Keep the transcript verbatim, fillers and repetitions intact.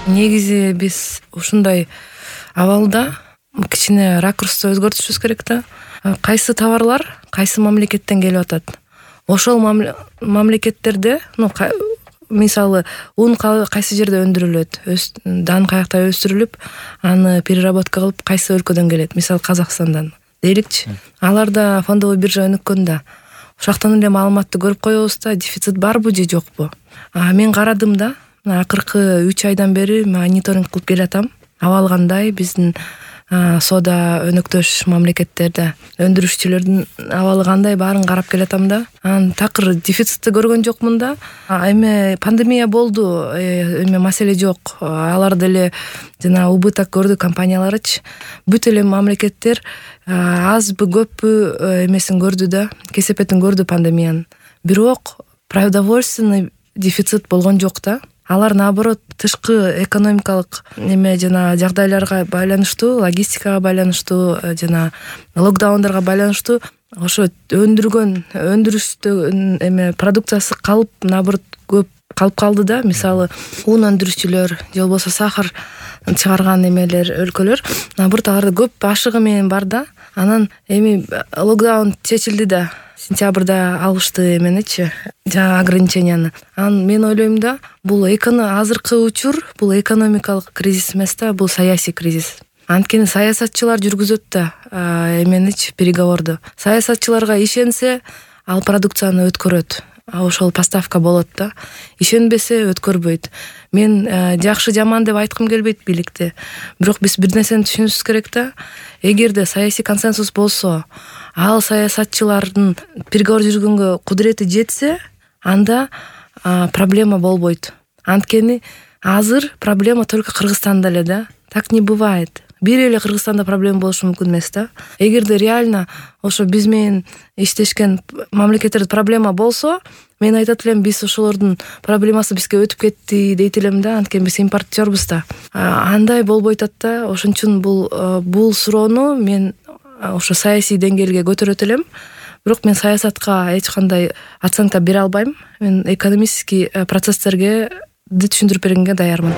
Негизи биз ушундай абалда кичине ракурсту өзгөртүшүбүз керек да. Кайсы товарлар кайсы мамлекеттен келип атат? Ошол мамлекеттерде, ну, мисалы, ун кайсы жерде өндүрүлөт, дан каякта өстүрүлүп, аны переработка кылып кайсы өлкөдөн келет? Мисалы, Казакстандан дейликчи. Аларда фондовый биржа өнүккөн да. Ошоктон эле маалыматты көрүп коебуз да, дефицит барбы же жокпу? А мен карадым да, акыркы үч айдан бери мониторинг кылып келатам. Абал кандай, биздин соода өнөктөш мамлекеттерде өндүрүшчүлөрдүн абалы кандай, баарын карап келатам да. Анан такыр дефицитти көргөн жокмун да. Эми пандемия болду, эми маселе жок. Алар деле жана убыток көрдү компанияларычы. Бүт эле мамлекеттер азбы көппү эмесин көрдү да, кесепетин көрдү пандемиянын. Бирок продовольственный дефицит болгон жок да. Алар наоборот тышкы экономикалык неме жана жагдайларга байланыштуу, логистикага байланыштуу жана локдаундарга байланыштуу ошо өндүргөн өндүрүштө эме продукциясы калып, наоборот көп калып калды да. Мисалы, ун өндүрүшчүлөр же болбосо сахар чыгарган эмелер, өлкөлөр наоборот аларда көп ашыгы менен бар да. Анан эми локдаун чечилди да. Сентябрда алышты эменичи, жана ограниченияны. Анан мен ойлойм да, бул азыркы учур, бул экономикалык кризис эмес да, бул саясий кризис. Анткени саясатчылар жүргүзөт да эменичи, переговорду. Саясатчыларга ишенсе, ал продукцияны өткөрөт. Ошол поставка болот да. Ишенбесе өткөрбөйт. Мен жакшы жаман деп айткым келбейт бийликти. Бирок биз бир нерсени түшүнүшүбүз керек да. Эгерде саясий консенсус болсо, ал саясатчылардын переговор жүргөнгө кудурети жетсе, анда проблема болбойт. Анткени азыр проблема только Кыргызстанда эле да. Так не бывает. Бир эле Кыргызстанда проблема болушу мүмкүн эмес да. Эгерде реально ошо биз менен иштешкен мамлекеттерде проблема болсо, мен айтат элем, биз ошолордун проблемасы бизге өтүп кетти дейт элем да. Анткени биз импортёрбуз да. Андай болбой атат да. Ошон үчүн бул бул суроону мен ошо саясий деңгээлге көтөрөт элем. Бирок мен саясатка эч кандай оценка бере албайм. Мен экономический процесстерге түшүндүрүп бергенге даярмын.